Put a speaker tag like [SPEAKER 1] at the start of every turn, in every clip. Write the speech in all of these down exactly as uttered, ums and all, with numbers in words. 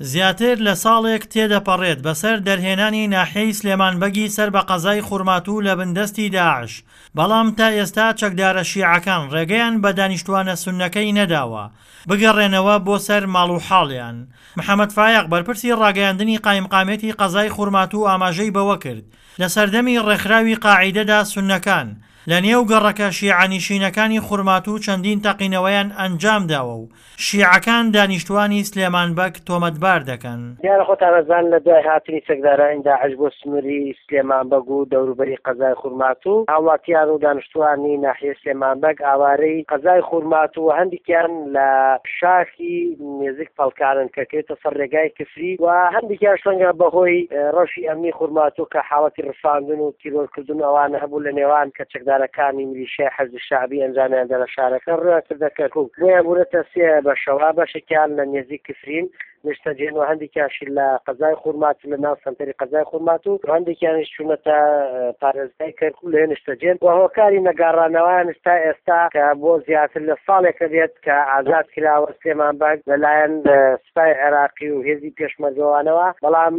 [SPEAKER 1] زیاتر لە ساڵێک تێدەپەڕێت بەسەر دەرهێنانی ناحیەی سلێمان بەگی سەر بە قەزای خورماتوو لە بندەستی داعش، بەڵام تا ئێستا چەکدارە شیعەکان ڕێگەیان بە دانیشتوانە سوننەکەی نەداوە بگەڕێنەوە بۆ سەر ماڵ و حاڵیان. محەمەد فایەق بەرپرسی ڕاگەیاندنی قایمقامیەتی قەزای خورماتوو ئاماژەی بەوەکرد، لە سەردەمی ڕێکخراوی قاعیدەدا سوننەکان لە نێو گەڕەکە شیعەنیشینەکانی خورماتوو چەندین تەقینەوەیان ئەنجامداوە و شیعەکان دانیشتوانی سلێمان بەگ تۆمەتبار دەکەن.
[SPEAKER 2] دیارە خۆتان ئەزانن لە دوای هاتنی چەکدارانی داعش بۆ سنووری سلێمان بەگ و دەوروبەری قەزای خورماتوو، هاوڵاتیان و دانیشتوانی ناحیەی سلێمان بەگ ئاوارەی قەزای خورماتوو و هەندێکیان لە شاخی نێزیک پەڵکانن کە کەوێتە سەر ڕێگای کفری و هەندێکیان ڕەنگە بەهۆی ڕەوشی ئەمنی خورماتوو کە حاڵەتی ڕفاندن و تیرۆرکردن و ئەوانە هەبوو لە نێوان کە چەکدارەکانی میلیشیای حەشدی شەعبی ئەنجامیاندا لە شارەکە ڕویان کردە کەرکوک، بۆیە بوونەتە سێ بەشەوە، بەشێکیان لە نێزیک کفرین نیشتەجێن و هەندێکیانشی لە قەزای خورماتوو لە ناو سەنتەری قەزای خورماتوو و هەندێکیانیش چوونەتە پارێزگای کەرکوک لەوێ نیشتەجێن و هۆکاری نەگەڕانەوەیانش تا ئێستا کە بۆ زیاتر لە ساڵێکە بێت کە ئازاد کراوە سلێمان بەگ لەلایەن سوپای عێراقی و هێزی پێشمەرگەوانەوە، بەڵام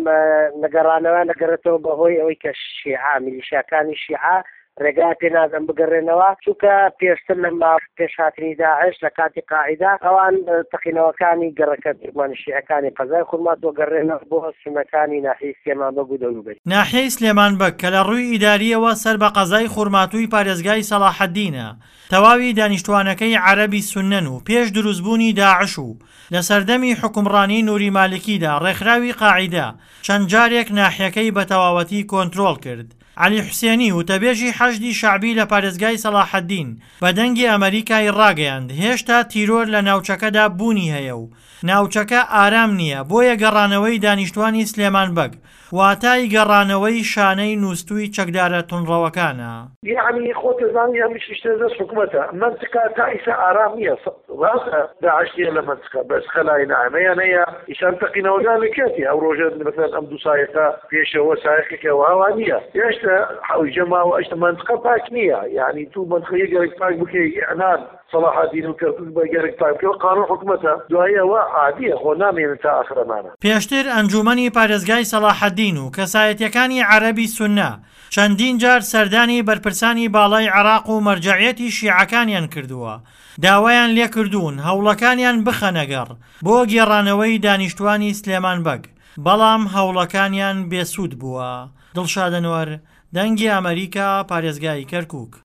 [SPEAKER 2] نەگەڕانەوەیان دەگەڕێتەوە بەهۆی ئەوەی کە شیعە میلیشیاکانی شیعە ڕێگای پێ نادەن بگەڕێنەوە، چونکە پێشتر لە ماوەی پێش هاتنی داعش لە کاتی قاعیدە ئەوان تەقینەوەکانی گەڕەکە تورکمانی شیعەکانی قەزای خورماتووە گەڕێنەوە بۆ سوننەکانی ناحیەی سلێمان بەگ و دەوروبەری.
[SPEAKER 1] ناحیەی سلێمان بەگ کە لە ڕووی ئیدارییەوە سەر بە قەزای خورماتووی پارێزگای سەڵاحەدینە، تەواوی دانیشتوانەکەی عەرەبی سوننەن و پێش دروستبوونی داعش و لە سەردەمی حوکمڕانی نوری مالکیدا ڕێکخراوی قاعیدە چەند جارێک ناحیەکەی بە تەواوەتی کۆنترۆڵ کرد. عەلی حوسێنی، وتەبێژی حەشدی شەعبی لە پارێزگای سەڵاحەدین، بە دەنگی ئەمەریکای ڕاگەیاند، هێشتا تیرۆر لە ناوچەکەدا بوونی هەیە و ناوچەکە ئارام نییە، بۆیە گەڕانەوەی دانیشتوانی سلێمان بەگ واتای گەڕانەوەی شانەی نووستووی چەکدارە توندڕەوەکانە.
[SPEAKER 3] یەعنی خۆت دەزانی ئەم شتە دەست حکومەتە مەنتقە تا ئیسا ئارام نییە ڕاستە داعش نییە لە مەنتقە بەس خەلای ناعمەیان هەیە ئیسان تەقینەوەکان لە کێتی ئەو ڕۆژە مثلا ئەم دوو سایقە پێشەوە سایقێکە واوا نییە هێشتا حەوجە ماوە ئەشتە مەنتقە پاک نییە یعنی تو مەنتقە یەک پاک بکەی ئیعلان سەڵاحەدین و کەرکوک بە گەرەک پاک بکەوە قانون حکومەتە دوای ئەوە عادیە خۆ نامێنن تا ئاخرەمانە.
[SPEAKER 1] پێشتر ئەنجوومەنی پارێزگای سەڵاحەدین و کەسایەتییەکانی عەرەبی سوننە چەندین جار سەردانی بەرپرسانی باڵای عێراق و مەرجەعیەتی شیعەکانیان کردووە، داوایان لێکردوون هەوڵەکانیان بخەنەگەڕ بۆ گێڕانەوەی دانیشتوانی سلێمان بەگ، بەڵام هەوڵەکانیان بێسوود بووە. دڵشاد ئەنوەر، دەنگی ئەمەریکا، پارێزگای کەرکوک.